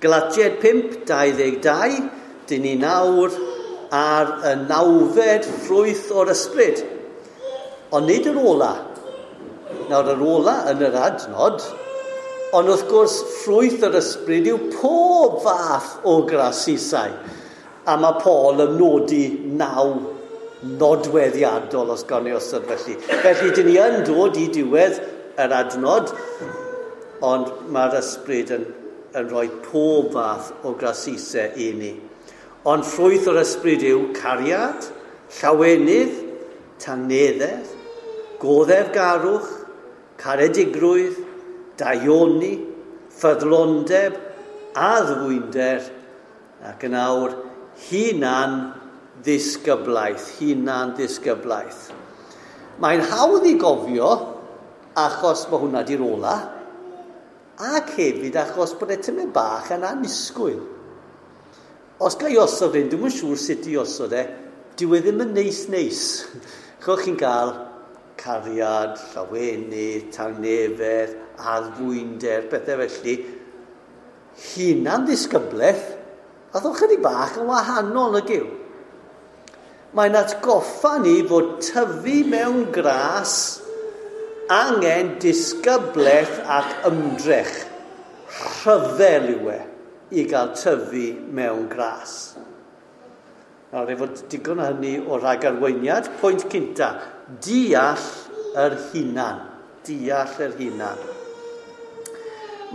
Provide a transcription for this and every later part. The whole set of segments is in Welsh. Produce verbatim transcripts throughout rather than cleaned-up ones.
Galatiaid pump, dau ddeg dau, dyn ni nawr ar y nawfed ffrwyth o'r ysbryd. Ond nid yr ola. Nawr yr ola yn yr adnod, ond wrth gwrs ffrwyth yr ysbryd yw pob fath o grasusau. A mae Paul yn nodi naw nodweddiadol os gawn ni osod felly. Felly dyn ni yn dod i diwedd yr adnod, ond mae'r ysbryd yn, yn rhoi pob fath o grasusau i ni. Ond ffrwyth o'r ysbryd yw cariad, llawenydd, tangnefedd, goddefgarwch, caredigrwydd, daioni, ffyddlondeb, addfwynder, ac yn awr hunan ddisgyblaeth, hunan ddisgyblaeth. Mae'n hawdd i gofio achos mae hwnna di'r ola, ac hefyd achos bod e tymed bach yn annisgwyl. Os ga i osod hyn, dwi'm yn siŵr sut i osod e, dyw e ddim yn neis neis. Chwch chi'n cael cariad, llawenydd, tangnefedd, addfwynder, pethau felly. Hunan ddisgyblaeth, a ddod chydig bach yn wahanol nag yw. Mae'n atgoffa ni fod tyfu mewn gras angen disgyblaeth ac ymdrech. Rhyfel yw e i gael tyfu mewn gras. Nawr, efo digon o hynny o ragarweiniad, pwynt cynta, deall yr hunan. Deall yr hunan.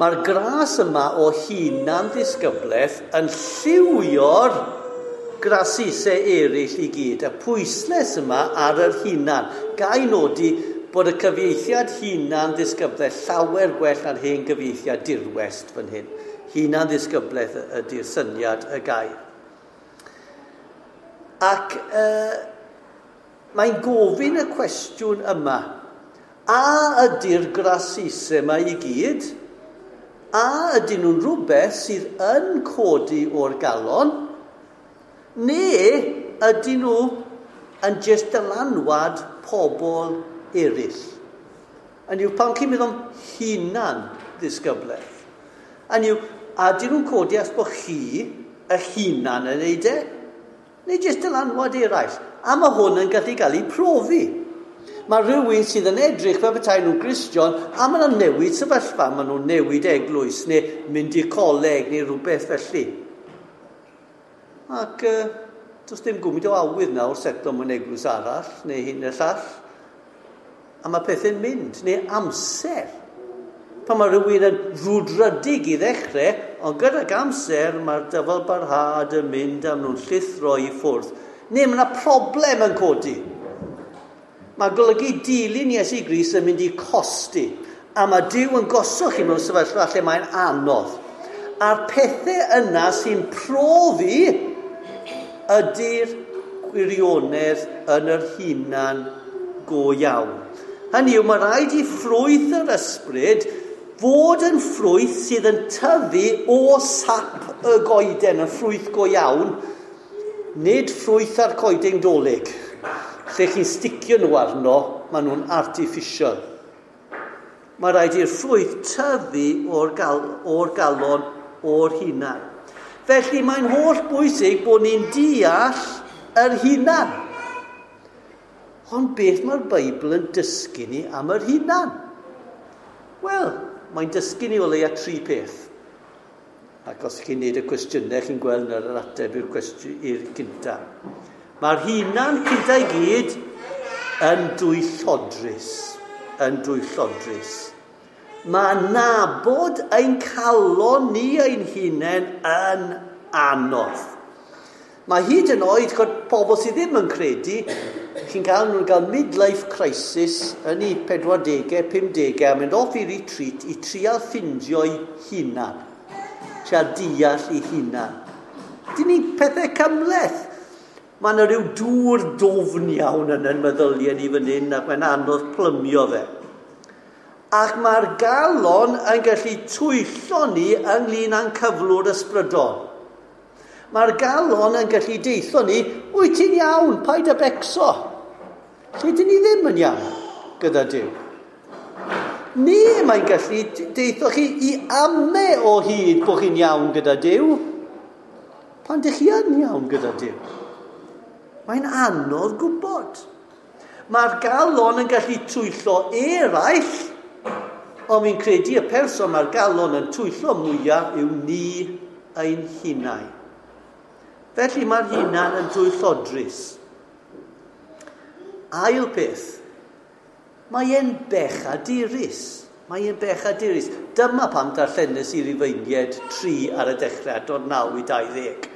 Mae'r gras yma o hunan ddisgyblaeth yn lliwio'r grasusau eraill i gyd. Y pwyslais yma ar yr hunan. Ga i nodi bod y cyfieithiad hunan ddisgyblaeth llawer gwell na'r hen gyfieithiad dirwest fan hyn. Hunan ddisgyblaeth ydy'r syniad y gair. Ac uh, mae'n gofyn y cwestiwn yma. A ydy'r grasusau yma i gyd? A ydyn nhw'n rhywbeth sydd yn codi o'r galon? Neu ydyn nhw yn jyst dylanwad pobl eraill? Hynny yw, pan chi'n meddwl am hunan ddisgyblaeth? Hynny yw, a ydyn nhw'n codi as bod chi y hunan yn neud e? Neu jyst dylanwad eraill? A mae hwn yn gallu cael ei profi. Mae rhywun sydd yn edrych fel petai nhw'n Gristion, a maen nhw'n newid sefyllfa, maen nhw'n newid eglwys, neu mynd i'r coleg, neu rhywbeth felly. Ac uh, does dim gwmyd o awydd nawr setlo mewn eglwys arall, neu hyn y llall. A mae pethau'n mynd, neu amser. Pan mae rhywun yn frwdfrydig i ddechrau, ond gydag amser mae'r dyfal barhad yn mynd am nhw'n llithro i ffwrdd. Neu mae yna problem yn codi. Mae golygu dilyn Iesu Grist yn mynd i costi. A mae Duw yn gosod chi mewn sefyllfa lle mae'n anodd. A'r pethau yna sy'n profi ydy'r gwirionedd yn yr hunan go iawn. Hynny yw, mae rhaid i ffrwyth yr ysbryd fod yn ffrwyth sydd yn tyfu o sap y goeden, yn ffrwyth go iawn, nid ffrwyth ar coeden dolig. Lle chi'n sticio nhw arno, maen nhw'n artificial. Mae rhaid i'r ffrwyth tyfu o'r, gal, o'r galon, o'r hunan. Felly mae'n holl bwysig bod ni'n deall yr hunan. Ond beth mae'r Beibl yn dysgu ni am yr hunan? Wel, mae'n dysgu ni o leia tri peth. Ac os chi'n neud y cwestiynau, chi'n gweld yr ateb i'r cwestiwn i'r cynta. Mae'r hunan cynta i gyd yn dwyllodrus. Yn dwyllodrus. Mae nabod ein calon ni ein hunain yn anodd. Mae hyd yn oed pobl sydd ddim yn credu, chi'n cael nhw'n cael midlife crisis yn eu pedwardegau, pumdegau, a mynd off i retreat i trial ffindio'i hunan. Trial deall ei hunan. Dyn ni pethau cymhleth. Mae yna rhyw dŵr dofn iawn yn yn meddyliau ni fan hyn ac mae'n anodd plymio fe. Ac mae'r galon yn gallu twyllo ni ynglyn â'n cyflwr ysbrydol. Mae'r galon yn gallu deitho ni, wyt ti'n iawn, paid â becso. Lle dyn ni ddim yn iawn gyda Duw. Neu mae'n gallu deitho chi i ame o hyd bod chi'n iawn gyda Duw. Pan dych chi yn iawn gyda Duw. Mae'n anodd gwybod. Mae'r galon yn gallu twyllo eraill, ond fi'n credu y person mae'r galon yn twyllo mwyaf yw ni ein hunain. Felly mae'r hunan yn dwyllodrus. Ail peth, mae e'n bechadurus. Mae e'n bechadurus. Dyma pam darllenes i Rufeiniaid tri ar y dechrau, dod naw i dau ddeg.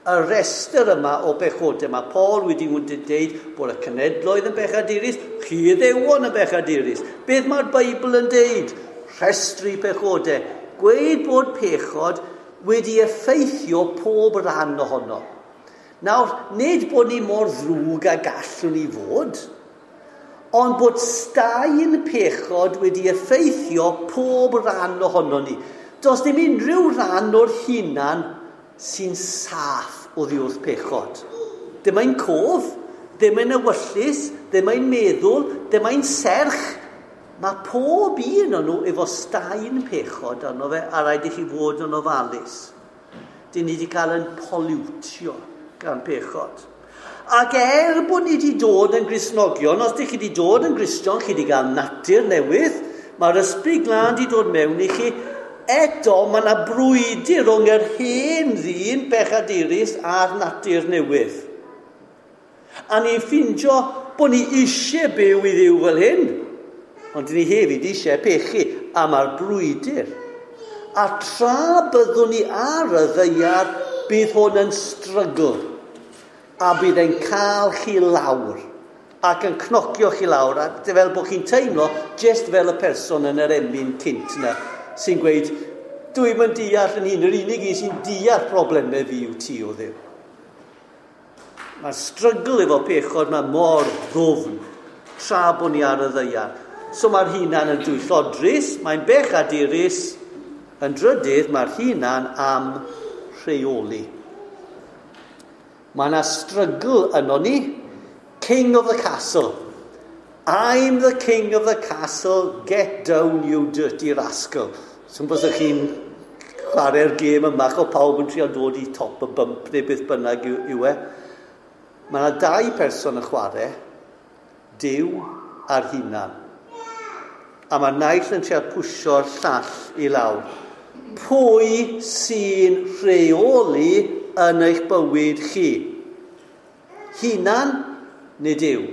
Y restr yma o bechodau, mae Paul wedi dweud bod y cenhedloedd yn bechadurus, chi Iddewon yn bechadurus. Beth mae'r Beibl yn deud? Rhestru pechodau. Gweud bod pechod wedi effeithio pob rhan ohono. Nawr, nid bod ni mor ddrwg a gallwn ni fod, ond bod staen pechod wedi effeithio pob rhan ohono ni. Does dim unrhyw rhan o'r hunan sy'n saff oddi wrth pechod. Dim ein cof, dim ein ewyllys, dim ein meddwl, dim ein serch. Mae pob un o'n nhw efo staen pechod arno fe, a rhaid i chi fod yn ofalus. Dyn ni wedi cael yn pollutio gan pechod. Ac er bod ni wedi dod yn Gristnogion, os ydych chi wedi dod yn Gristion, chi wedi cael natur newydd, mae'r Ysbryd Glân wedi dod mewn i chi, eto mae yna brwydr rhwng yr hen ddyn bechadurus a'r natur newydd. A ni'n ffindio bod ni eisiau byw i Dduw fel hyn, ond ni hefyd eisiau pechu, a mae'r brwydr. A tra byddwn ni ar y ddaear, bydd hwn yn struggle, a bydd e'n cael chi lawr, ac yn cnocio chi lawr, a fel bod chi'n teimlo just fel y person yn yr emyn cynt yna, sy'n gweud, dwi'm yn deall yn hun, yr unig un sy'n deall problemau fi yw ti o Dduw. Mae'r struggle efo pechod mae mor ddwfn, tra bod ni ar y ddaear. So mae'r hunan yn dwyllodrus, mae'n bechadurus, yn drydydd mae'r hunan am rheoli. Mae yna struggle yno ni, king of the castle. I'm the king of the castle, get down you dirty rascal. So bys chi'n chwarae'r gêm yma, o pawb yn trio dod i top y bump neu beth bynnag yw, yw e. Mae yna dau person yn chwarae, Duw a'r hunan. A mae naill yn trio pwsio'r llall i lawr. Pwy sy'n rheoli yn eich bywyd chi? Hunan neu Duw?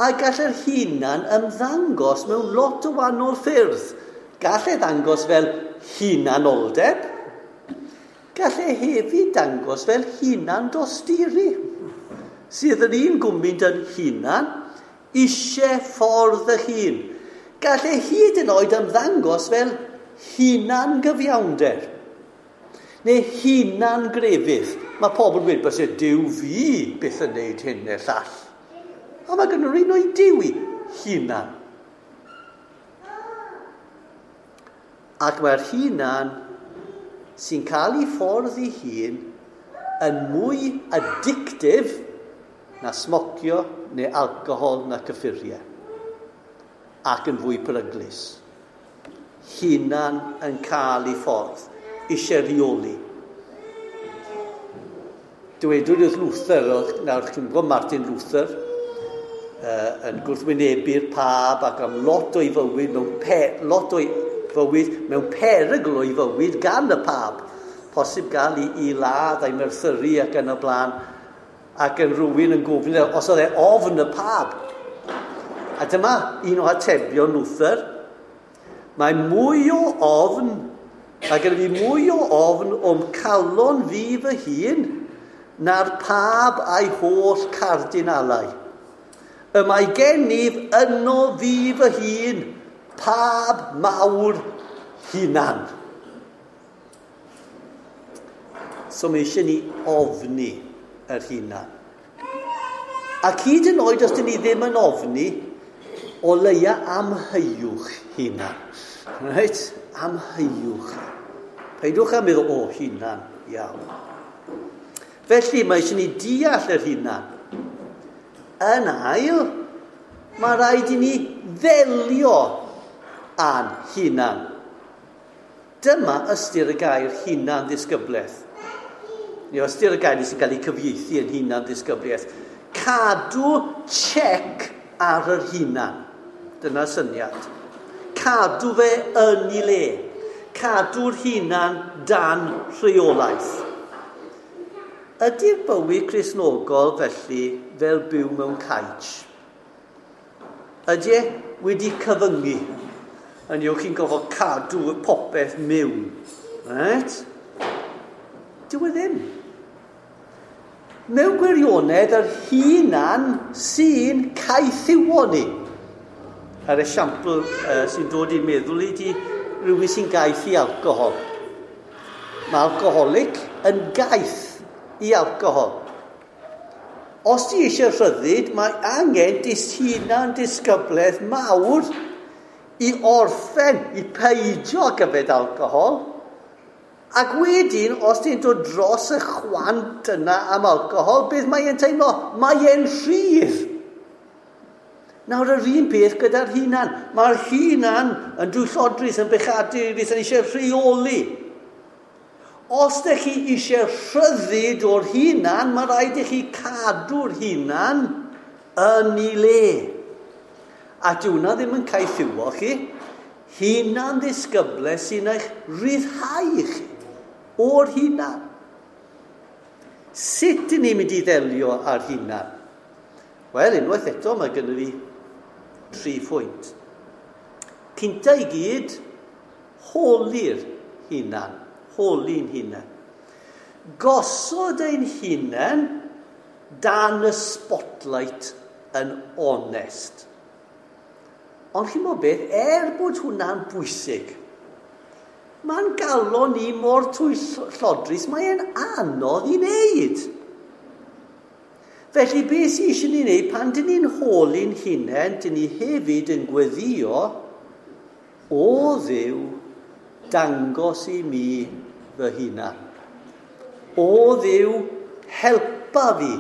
A gall yr hunan ymddangos mewn lot o wahanol ffyrdd. Gall e ddangos fel hunanoldeb. Gall e hefyd dangos fel hunan dosturi. Sydd yr un gwmynt yn hunan, eisiau ffordd y hun. Gall e hyd yn oed ymddangos fel hunan gyfiawnder. Neu hunan grefydd. Mae pobl yn gweud, byse Duw fi byth yn neud hyn neu'r llall. A mae gen nhw'r un o'i Duw i hunan. Ac mae'r hunan sy'n cael ei ffordd ei hun yn mwy addictive na smocio neu alcohol na cyffuriau. Ac yn fwy peryglus. Hunan yn cael ei ffordd, eisiau rheoli. Dywedwyd wrth Luther, nawr chi'n gwybod Martin Luther, uh, yn gwrthwynebu'r pab ac am lot o'i fywyd mewn pe, lot o'i fywyd mewn perygl o'i fywyd gan y pab. Posib gael i, i ladd a'i merthyru ac yn y blaen, ac yn rhywun yn gofyn os oedd e ofn y pab. A dyma un o atebion Luther. Mae mwy o ofn, mae gen i fi mwy o ofn o'm calon fi fy hun na'r pab a'i holl cardinalau. Y mae gennyf yno fi fy hun, pab mawr hunan. So mae eisiau ni ofni yr hunan. Ac hyd yn oed os dyn ni ddim yn ofni, o leia amheuwch hunan. Reit? Amheuwch. Peidwch am meddwl, o, hunan, iawn. Felly mae eisiau ni deall yr hunan. Yn ail, mae rhaid i ni ddelio a'n hunan. Dyma ystyr y gair hunan ddisgyblaeth. Neu ystyr y gair sy'n cael ei cyfieithu yn hunan ddisgyblaeth. Cadw check ar yr hunan. Dyna syniad. Cadw fe yn ei le. Cadw'r hunan dan rheolaeth. Ydy'r bywyd Cristnogol felly fel byw mewn caij? Ydy e wedi cyfyngu? Yn yw chi'n gofod cadw popeth mewn. Right? Dyw e ddim. Mewn gwirionedd, yr hunan sy'n caethiwo ni. Yr esiampl uh, sy'n dod i'n meddwl i di rhywun sy'n gaeth i alcohol. Mae alcoholic yn gaeth i alcohol. Os ti eisiau rhyddid, mae angen dis hunan disgyblaeth mawr i orffen, i peidio gyfed alcohol. Ac wedyn, os ti'n dod dros y chwant yna am alcohol, beth mae e'n teimlo? Mae e'n rhydd. Nawr, yr un peth gyda'r hunan. Mae'r hunan yn dwyllodrus, yn bechadurus, yn eisiau rheoli. Os ydych chi eisiau rhyddid o'r hunan, mae rhaid i chi cadw'r hunan yn ei le. A dyw hwnna ddim yn caethiwo chi. Hunan ddisgyblaeth sy'n eich rhyddhau chi o'r hunan. Sut ydyn ni'n mynd i ddelio â'r hunan? Wel, unwaith eto mae gynnu fi tri phwynt. Cynta i gyd, holi'r hunan. Holi'n hunan. Gosod ein hunan dan y spotlight yn onest. Ond chi'n gwybod beth, er bod hwnna'n bwysig, mae'n galon ni mor twyllodrus, mae'n anodd i wneud. Felly beth sydd eisiau ni wneud, pan dyn ni'n holi'n hunain, dyn ni hefyd yn gweddio, o Dduw, dangos i mi fy hunan. O Dduw, helpa fi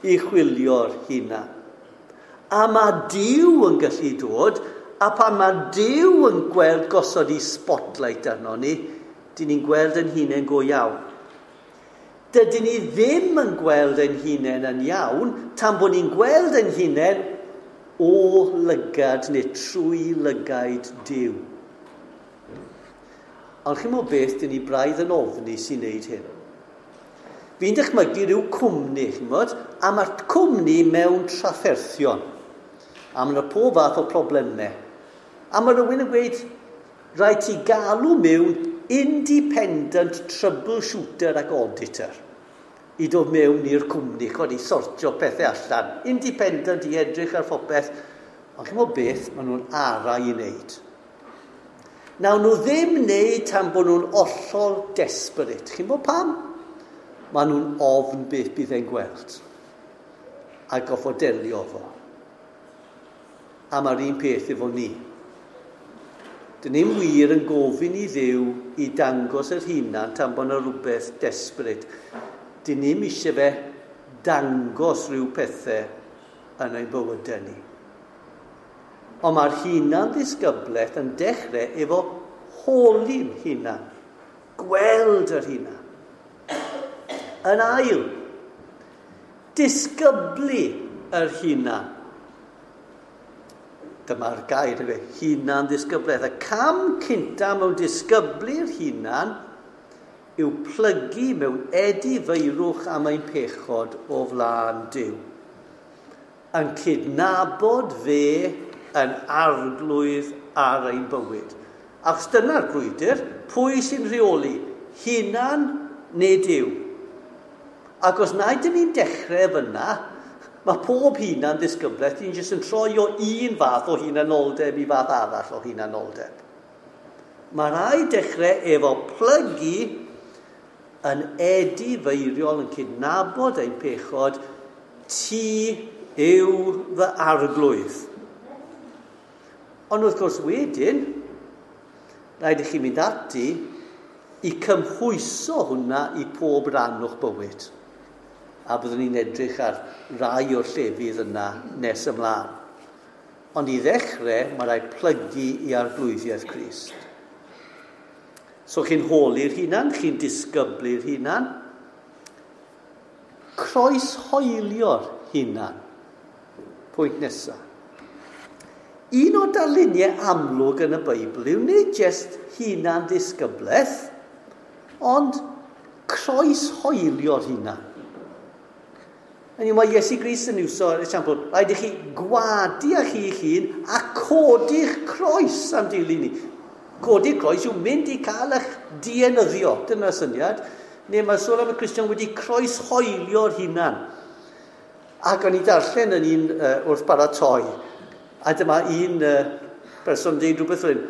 i chwilio'r hunan. A mae Duw yn gallu dod, a pan mae Duw yn gweld gosod i spotlight arno ni, dyn ni'n gweld yn hunain go iawn. Dydyn ni ddim yn gweld ein hunain yn iawn, tan bod ni'n gweld ein hunain o lygad neu trwy lygaid Duw. Ond chi'n meddwl beth, dyn ni braidd yn ofni sy'n neud hyn. Fi'n dychmygu rhyw cwmni, chi'n gwybod, a mae'r cwmni mewn trafferthion. A mae yna pob fath o problemau. A mae rhywun yn gweud, rhaid ti galw mewn independent troubleshooter ac auditor i dod mewn i'r cwmni, chod, i sortio pethau allan. Independent i edrych ar phopeth. Ond chi'n meddwl beth, maen nhw'n ara i wneud. Nawn nhw ddim wneud tan bod nhw'n hollol desperate. Chi'n gwybod pam? Maen nhw'n ofn beth bydd e'n gweld. A goffo delio fo. A mae'r un peth efo ni. Dyn ni'n wir yn gofyn i Dduw i dangos yr hunan tan bod yna rhywbeth desperate. Dyn ni'n eisiau fe dangos rhyw pethau yn ein bywydau ni. Ond mae'r hunan ddisgyblaeth yn dechrau efo holi'n hunan. Gweld yr hunan. Yn ail, disgyblu yr hunan. Dyma'r gair, hunan ddisgyblaeth. Y cam cynta mewn disgyblu'r hunan yw plygu mewn edifeirwch am ein pechod o flaen Duw. Yn cydnabod fe yn arglwydd ar ein bywyd. Achos dyna'r brwydr, pwy sy'n rheoli? Hunan neu Duw? Ac os na ydyn ni'n dechrau fyna, mae pob hunan ddisgyblaeth, ni'n jyst yn troi o un fath o hunanoldeb i fath arall o hunanoldeb. Mae rhaid dechrau efo plygu yn edifeiriol, yn cydnabod ein pechod, ti yw fy arglwydd. Ond wrth gwrs wedyn, rhaid i chi mynd ati i cymhwyso hwnna i pob rhan o'ch bywyd. A byddwn ni'n edrych ar rai o'r llefydd yna nes ymlaen. Ond i ddechrau, mae rhaid plygu i arglwyddiaeth Crist. So chi'n holi'r hunan, chi'n disgyblu'r hunan. Croeshoelio'r hunan. Pwynt nesaf. Un o darluniau amlwg yn y Beibl yw nid jyst hunan ddisgyblaeth, ond croeshoelio'r hunan. Hynny yw, mae Iesu Grist yn iwso'r esiampl, rhaid i chi gwadu â chi'ch hun a codi'ch croes am dilyn ni. Codi'r croes yw mynd i cael eich dienyddio, dyna'r syniad. Neu mae sôn am y Cristion wedi croeshoelio'r hunan. Ac o'n i darllen yn un uh, wrth baratoi, a dyma un uh, person dweud rhywbeth fel hyn.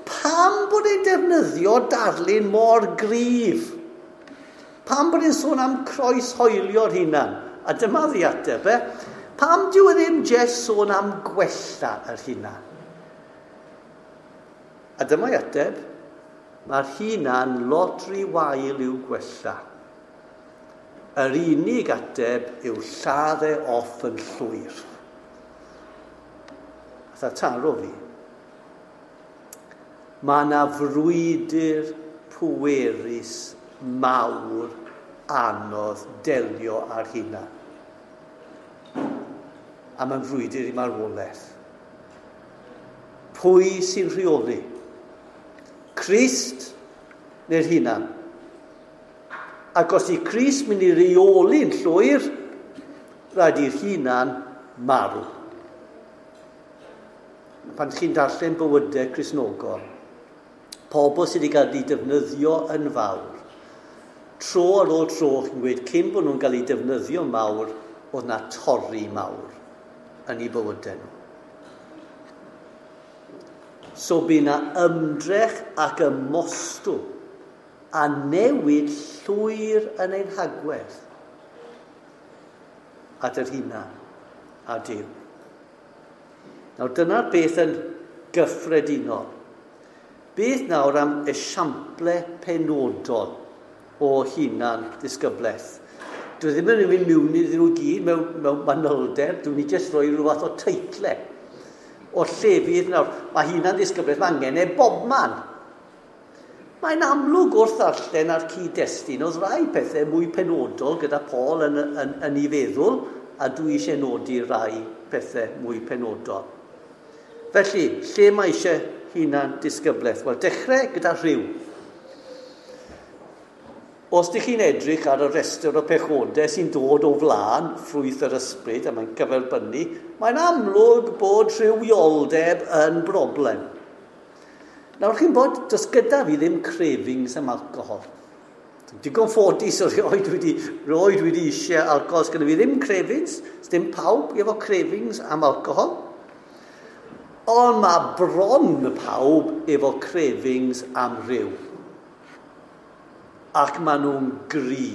Pam bod e'n defnyddio darlun mor gryf? Pam bod e'n sôn am croeshoelio'r hunan? A dyma ddiateb, e? Pam dyw e ddim jyst sôn am gwella yr hunan? A dyma'i ateb, mae'r hunan lot rhy wael i'w gwella. Yr unig ateb yw lladd e off yn llwyr. Atha taro fi. Mae yna frwydr pwerus mawr anodd delio ar hunan. A mae'n frwydr i marwolaeth. Pwy sy'n rheoli? Crist neu'r hunan? Ac os i Crist mynd i reoli'n llwyr, rhaid i'r hunan marw. Pan chi'n darllen bywydau Cristnogol, pobl sydd wedi cael eu defnyddio yn fawr, tro ar ôl tro, chi'n gweud, cyn bod nhw'n cael eu defnyddio mawr, oedd na torri mawr yn eu bywydau nhw. So bu na ymdrech ac ymostwng a newid llwyr yn ein hagwedd at yr hunan a Duw. Nawr dyna'r beth yn gyffredinol. Beth nawr am esiample penodol o hunan ddisgyblaeth? Dwi ddim yn mynd mewn iddyn nhw gyd mewn, mewn manylder, dwi'n ni jyst rhoi rhyw fath o teitle o'r llefydd nawr. Mae hunan ddisgyblaeth, mae angen e bobman. Mae'n amlwg wrth ddarllen ar cyd-destun, oedd rai pethau mwy penodol gyda Paul yn, yn, yn ei feddwl, a dwi eisiau nodi rai pethau mwy penodol. Felly, lle mae eisiau hunan disgyblaeth? Wel, dechrau gyda rhyw. Os ydych chi'n edrych ar y rhestr o pechodau sy'n dod o flaen ffrwyth yr ysbryd, a mae'n cyferbynnu, mae'n amlwg bod rhywioldeb yn broblem. Nawr chi'n bod, does gyda fi ddim cravings am alcohol. Digon ffodus o rioed wedi, rioed wedi eisiau alcohol. Sgynna fi ddim cravings, dim pawb efo cravings am alcohol. Ond mae bron pawb efo cravings am rhyw. Ac maen nhw'n gry.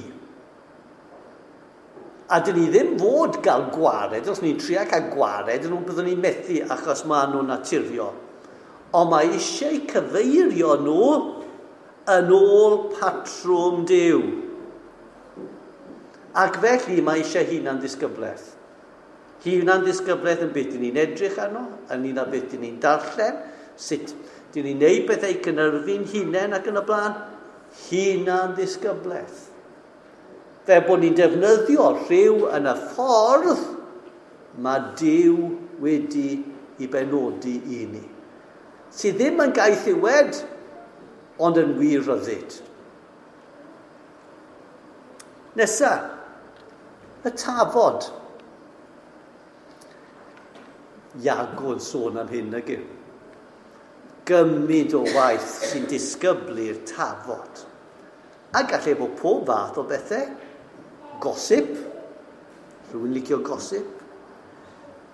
A dyn ni ddim fod gael gwared, os ni'n trio cael gwared, nhw byddwn ni'n methu achos maen nhw'n naturiol. Ond mae eisiau cyfeirio nhw yn ôl patrwm Duw. Ac felly mae eisiau hunan ddisgyblaeth. Hunan ddisgyblaeth yn beth dyn ni'n edrych arno, yn un o beth dyn ni'n darllen, sut dyn ni'n neud bethau cynhyrfu'n hunain ac yn y blaen. Hunan ddisgyblaeth. Fe bod ni'n defnyddio rhyw yn y ffordd mae Duw wedi i benodi i ni. Sydd ddim yn gaethiwed, ond yn wir ryddid. Nesa, y tafod. Iago yn sôn am hyn ag yw. Gymaint o waith sy'n disgyblu'r tafod. A gallai bod pob fath o bethau. Gossip. Rhywun licio gossip.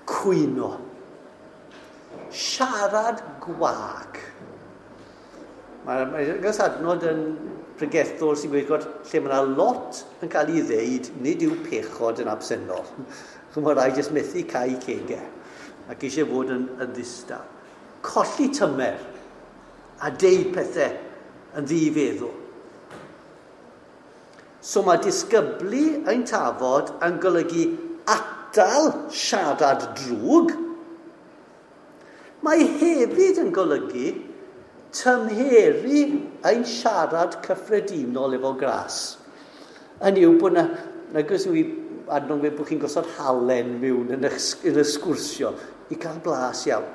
Cwyno. Siarad gwag. Mae'r mae mae adnod yn pregethwr sy'n gweud bod lle mae yna lot yn cael ei ddeud, nid yw pechod yn absennol. Mae rhaid jyst methu cau cegau ac eisiau fod yn, yn ddistaw. Colli tymer a deud pethau yn ddifeddwl. So mae disgyblu ein tafod yn golygu atal siarad drwg Mae hefyd yn golygu tymheru ein siarad cyffredinol efo gras. Hynny yw bod na, nag oes yw i adnod bod chi'n gosod halen mewn yn y, yn y sgwrsio i gael blas iawn.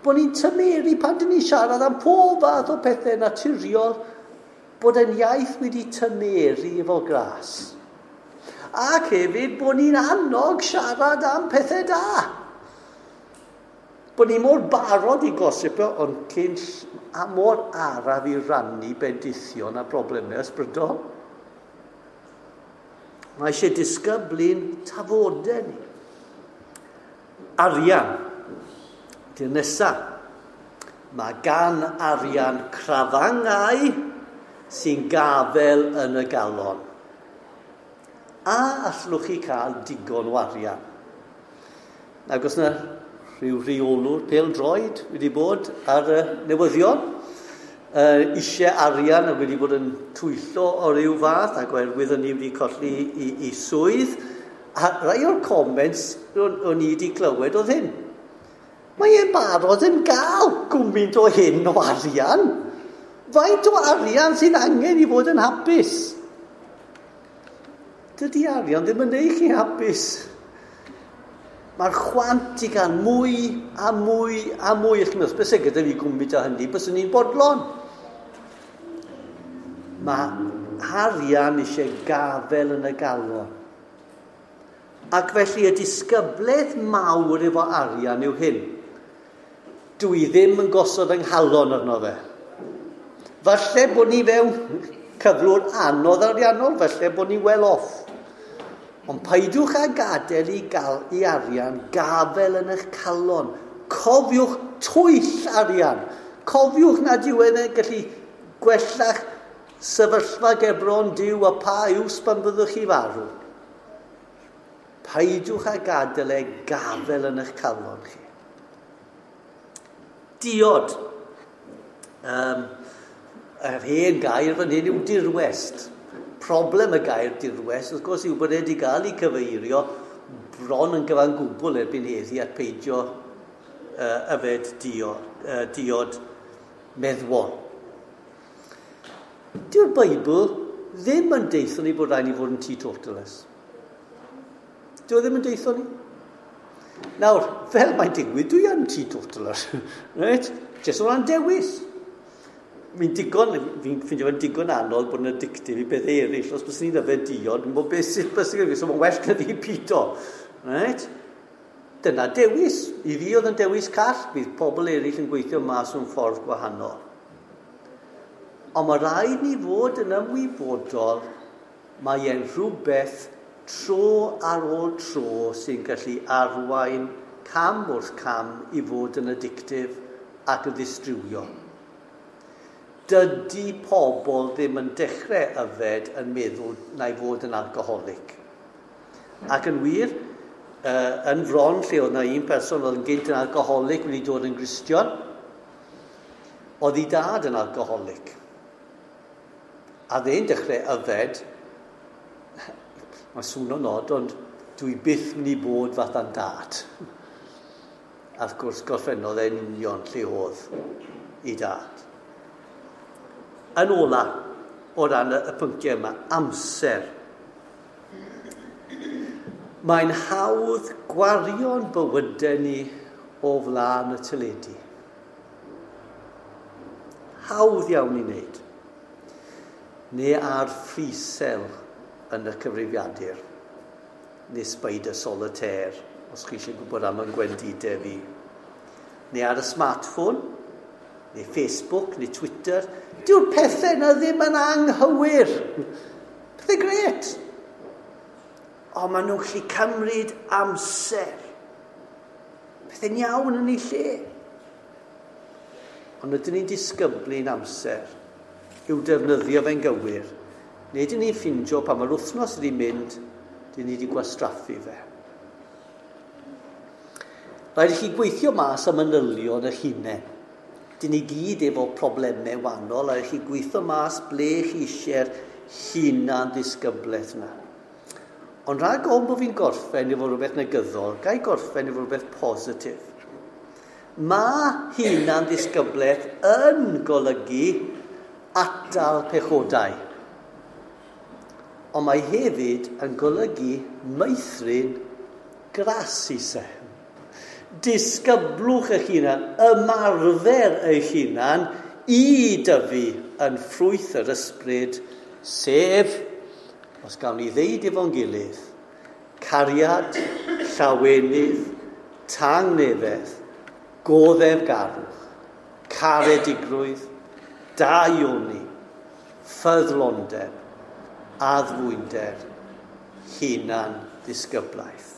Bod ni'n tymeru pan dyn ni'n siarad am pob fath o pethau naturiol, bod yn iaith wedi tymeru efo gras. Ac hefyd bod ni'n annog siarad am pethau da. Bod ni mor barod i gosipio, ond cyn a mor araf i rannu bendithion a broblemau ysbrydol. Mae eisiau disgyblu'n tafodau ni. Arian. Di'r nesaf. Mae gan arian crafangau sy'n gafel yn y galon. A allwch chi cael digon o arian? Ac os yna rhyw reolwr pêl-droed wedi bod ar y newyddion, uh, eisiau arian a wedi bod yn twyllo o ryw fath, ac oherwydd hynny wedi colli i, i swydd. A rai o'r comments o'n, o'n i wedi clywed oedd hyn. Mae e'n barod yn gael gwmynt o hyn o arian. Faint o arian sy'n angen i fod yn hapus? Dydy arian ddim yn neud chi hapus. Mae'r chwant i gael mwy a mwy a mwy. Ych chi'n meddwl, beth sy'n gyda fi gwmynt o hynny, byswn ni'n bodlon. Mae arian eisiau gafel yn y galon. Ac felly y disgyblaeth mawr efo arian yw hyn. Dwi ddim yn gosod yng nghalon arno fe. Falle bod ni fewn cyflwr anodd ariannol, falle bod ni well off. Ond peidiwch â gadael i, gael, i arian gafel yn eich calon. Cofiwch twyll arian. Cofiwch nad yw e'n gallu gwella'ch sefyllfa gerbron Duw a pa iws pan byddwch chi farw. Peidiwch â gadael e gafel yn eich calon chi. Diod. Um, yr hen gair fan hyn yw dirwest. Problem y gair dirwest, wrth gwrs, yw bod e wedi gael ei cyfeirio bron yn gyfan gwbl erbyn heddi at peidio uh, yfed diod, uh, diod meddwol. Dyw'r Beibl ddim yn deithio ni bod rhaid ni fod yn teetotalers. Dyw e ddim yn deithio ni. Nawr, fel mae'n digwydd, dwi yn teetotaler. Right? Jyst o ran dewis. Fi'n digon, fi'n ffeindio fe'n digon anodd bod yn addictive i beth eraill. Os bys ni'n yfed diod, dwi'n bod beth sydd bys ni'n so mae'n well na fi pido. Right? Dyna dewis. I fi oedd yn dewis call, bydd pobl eraill yn gweithio mas mewn ffordd gwahanol. Ond mae rhaid ni fod yn ymwybodol mae e'n rhywbeth tro ar ôl tro sy'n gallu arwain cam wrth cam i fod yn addictive ac yn ddistriwiol. Dydy pobl ddim yn dechrau yfed yn meddwl na i fod yn alcoholic. Ac yn wir, uh, yn Fron, lle oedd na un person oedd yn gynt yn alcoholic wedi dod yn Gristion, oedd ei dad yn alcoholic. A dde'n dechrau yfed, mae swno'n od, ond dwi byth mynd i bod fath a'n dad. A wrth gwrs gorffennodd e'n union lle oedd ei dad. Yn ola, o ran y, y pynciau yma, amser. Mae'n hawdd gwario'n bywydau ni o flaen y teledu. Hawdd iawn i wneud. Neu ar ffrisel yn y cyfrifiadur. Neu spider solitaire, os chi eisiau gwybod am yn gwendidau fi. Neu ar y smartphone, neu Facebook, neu Twitter. Dyw'r pethau yna ddim yn anghywir. Pethau gret. Ond maen nhw'n gallu cymryd amser. Pethau'n iawn yn ei lle. Ond ydyn ni'n disgyblu'n amser i'w defnyddio fe'n gywir. Neu ydyn ni'n ffindio pan mae'r wythnos wedi mynd, dyn ni wedi gwastraffu fe. Rhaid i chi gweithio mas am manylion eich hunain. Dyn ni gyd efo problemau wahanol, a chi gweithio mas ble chi eisiau'r hunan ddisgyblaeth yna. Ond rhag ofn bod fi'n gorffen efo rhywbeth negyddol, ga i gorffen efo rhywbeth positif. Mae hunan ddisgyblaeth yn golygu atal pechodau. Ond mae hefyd yn golygu meithrin gras ise. Disgyblwch eich hunan, ymarfer eich hunan i dyfu yn ffrwyth yr Ysbryd, sef, os gawn ni ddeud efo'n gilydd, cariad, llawenydd, tangnefedd, goddefgarwch, caredigrwydd, daioni, ffyddlondeb, addfwynder, hunan ddisgyblaeth.